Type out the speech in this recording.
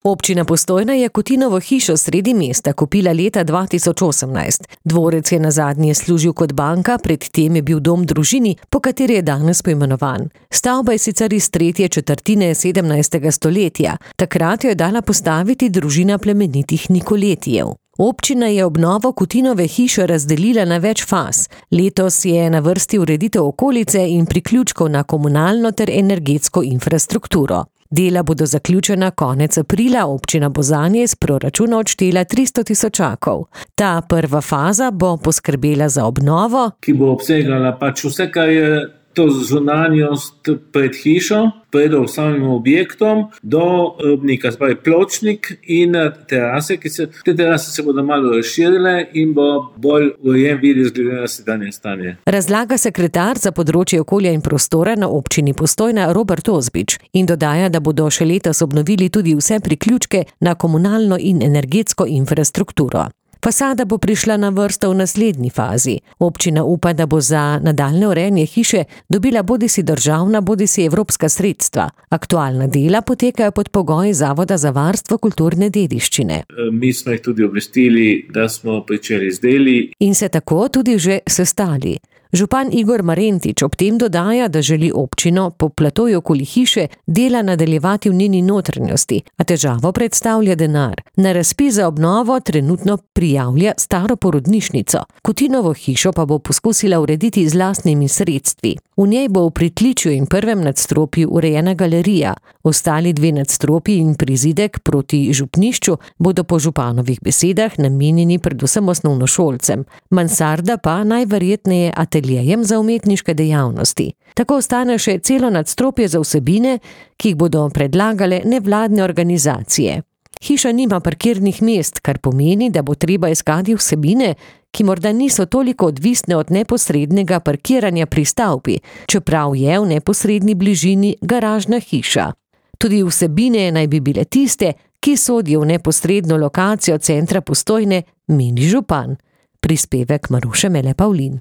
Občina Postojna je Kutinovo hišo sredi mesta kupila leta 2018. Dvorec je nazadnje služil kot banka, predtem je bil dom družini, po kateri je danes poimenovan. Stavba je sicer iz tretje četrtine 17. stoletja. Takrat jo je dala postaviti družina plemenitih Nikoletijev. Občina je obnovo Kutinove hiše razdelila na več faz. Letos je na vrsti ureditev okolice in priključkov na komunalno ter energetsko infrastrukturo. Dela bodo zaključena konec aprila, občina bo zanje iz proračuna odštela 300 000. Ta prva faza bo poskrbela za obnovo, ki bo obsegala vse, kar je to zunanjost pred hišo, pred samim objektom, do robnika, spravi pločnik in terase, te terase se bodo malo razširile in bo bolj urejen videz glede na sedanje stanje. Razlaga sekretar za področje okolja in prostora na občini Postojna Robert Ozbič in dodaja, da bodo še letos obnovili tudi vse priključke na komunalno in energetsko infrastrukturo. Fasada bo prišla na vrsto v naslednji fazi. Občina upa, da bo za nadaljnje urejanje hiše dobila bodisi državna, bodisi evropska sredstva. Aktualna dela potekajo pod pogoji Zavoda za varstvo kulturne dediščine. Mi smo jih tudi obvestili, da smo pričeli z deli. In se tako tudi že sestali. Župan Igor Marentič ob tem dodaja, da želi občino po platoju okoli hiše dela nadaljevati v njeni notranjosti, a težavo predstavlja denar. Na razpis za obnovo trenutno prijavlja staro porodnišnico. Kutinovo hišo pa bo poskusila urediti z lastnimi sredstvi. V njej bo v pritličju in prvem nadstropju urejena galerija. Ostali 2 nadstropji in prizidek proti župnišču bodo po županovih besedah namenjeni predvsem osnovnošolcem. Mansarda pa najverjetneje ateljejem za umetniške dejavnosti. Tako ostane še celo nadstropje za vsebine, ki jih bodo predlagale nevladne organizacije. Hiša nima parkirnih mest, kar pomeni, da bo treba iskati vsebine, ki morda niso toliko odvisne od neposrednega parkiranja pri stavbi, čeprav je v neposredni bližini garažna hiša. Tudi vsebine naj bi bile tiste, ki sodijo v neposredno lokacijo centra Postojne, meni župan. Prispevek Maruše Mele Pavlin.